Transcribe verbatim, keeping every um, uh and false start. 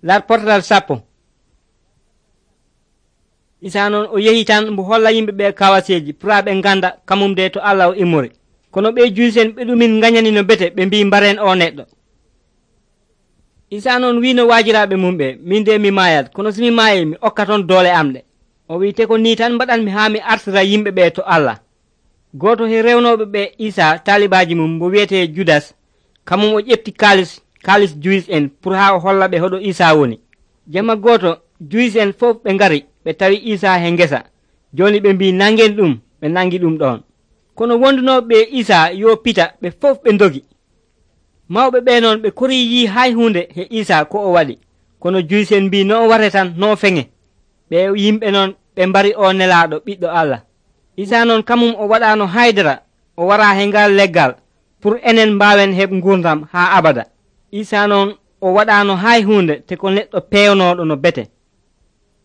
larportal sappo. Isa noon o yehi tan mbo holla yimɓe ɓe kawaseji pura ɓe ganda kamum de to Allah o immori. Kono ɓe juusen ɓe ɗumin gañani no bete ɓe mbi mbaren o neɗɗo. Isa noon wino waajiraɓe mum ɓe, min de mi mayat, kono somi maayi mi okka toon doole am ɗe. O wi te ko ni tan mbaɗanmi haa mi artira yimɓe ɓe to Allah. Goto he rewnoɓe ɓe Isa talibaji mum mo wiyete Judas, kamum o ƴefti kaalis kaalis juis en pour haa o holla ɓe hoɗo Isa woni. Jamma goto juis en fof ɓe ngari ɓe tawi Isa he ngesa. Joni ɓe mbi nangen ɗum, ɓe nangi ɗum ɗon. Kono wondunoɓe ɓe Isa yo pita ɓe fof ɓe ndogi. Mawɓe ɓe noon ɓe kori yi hay hunde he Isa ko o waɗi. Kono juis en mbi no o ware tan no feŋe. Ɓe yimɓe noon ɓe mbari o nelaɗo ɓiɗɗo Allah. Isa noon kamum o waɗano haydara o wara he ngal leggal pour enen mbawen heɓ gurdam ha abada. Isa noon o waɗano hay hunde te ko neɗɗo pewnoɗo no bete.